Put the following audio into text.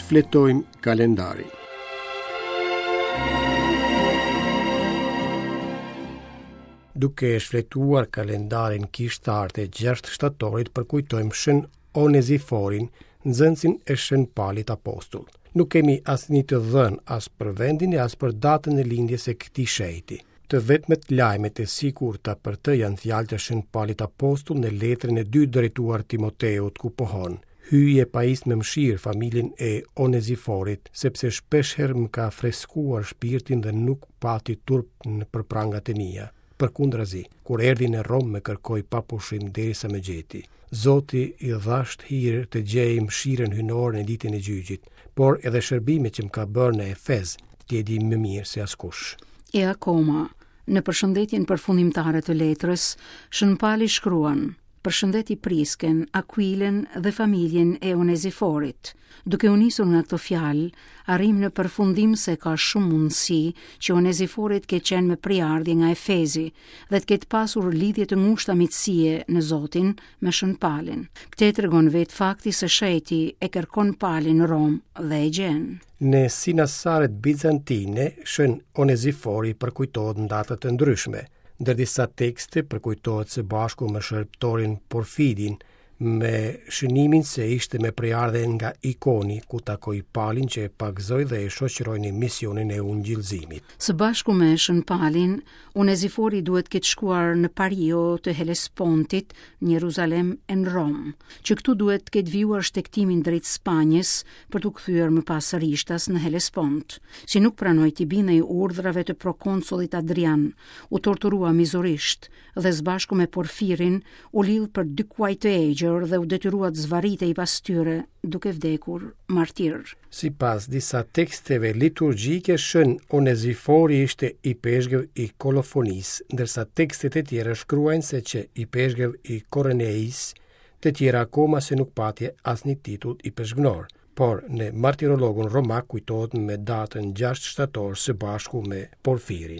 Shfletojmë kalendarin. Duke shfletuar kalendarin kishtar të 6 shtatorit përkujtojmë Shën Oneziforin, nxënësin e Shën Palit Apostull. Nuk kemi asnjë të dhënë as për vendin e as për datën e lindjes së këtij shenjti. Të vetmet lajme të sigurta për të janë fjalët e Shën Palit Apostull në letrën e dytë drejtuar Timoteut ku pohon: Hyj e pajis me mëshirë familjen e Oneziforit, sepse shpeshherë më ka freskuar shpirtin dhe nuk pati turp për prangat e mia. Përkundrazi, kur erdhi në Romë më kërkoi pa pushim derisa më gjeti. Zoti i dhashtë hir të gjejë mëshirën hyjnore në ditën e gjyqit, por edhe shërbimet që më ka bërë në Efez, ti e di më mirë se askush. E akoma, në përshëndetjen përfundimtare të letrës, Shën Pali shkruan: Përshëndeti Prisken, Akuilen dhe familjen e Oneziforit. Duke u nisur nga këto fjalë, arrijmë në përfundim se ka shumë mundësi që Onezifori të ketë qenë me prejardhje nga Efezi dhe të ketë pasur lidhje të ngushta miqësie në Zotin me Shën Palin. Këtë e tregon vetë fakti se shenjti e kërkon Palin në Romë dhe e gjen. Në sinasaret bizantine, Shën Onezifori përkujtohet në data të ndryshme. Ndër disa tekste përkujtohet së bashku me shërbëtorin Porfidin, me shënimin se ishte me prejardhje nga Ikoni, ku takoi Palin që e pagëzoi dhe e shoqëroi në misionin e ungjillëzimit. Së bashku me Shën Palin, Onezifori duhet të ketë shkuar në Pario të Helespontit, në Jeruzalem e në Romë, që këtu duhet të ketë vijuar shtegtimin drejt Spanjës për t'u kthyer më pas rishtas në Helespont. Si nuk pranoi t'i bindej urdhrave të prokonsullit Adrian, u torturua mizorisht dhe së bashku me Porfirin u lidh për dy kuaj të egjër dhe u detyrua të zvarritej pas tyre, duke vdekur martir. Sipas disa teksteve liturgjike, Shën Onezifori ishte ipeshkëv i Kolofonisë, ndërsa tekstet e tjera shkruajnë se qe ipeshkëv i Koroneisë, të tjera akoma se nuk pati asnjë titull ipeshkvnor. Por në martirologun romak kujtohet me datën 6 shtator së bashku me Porfirin.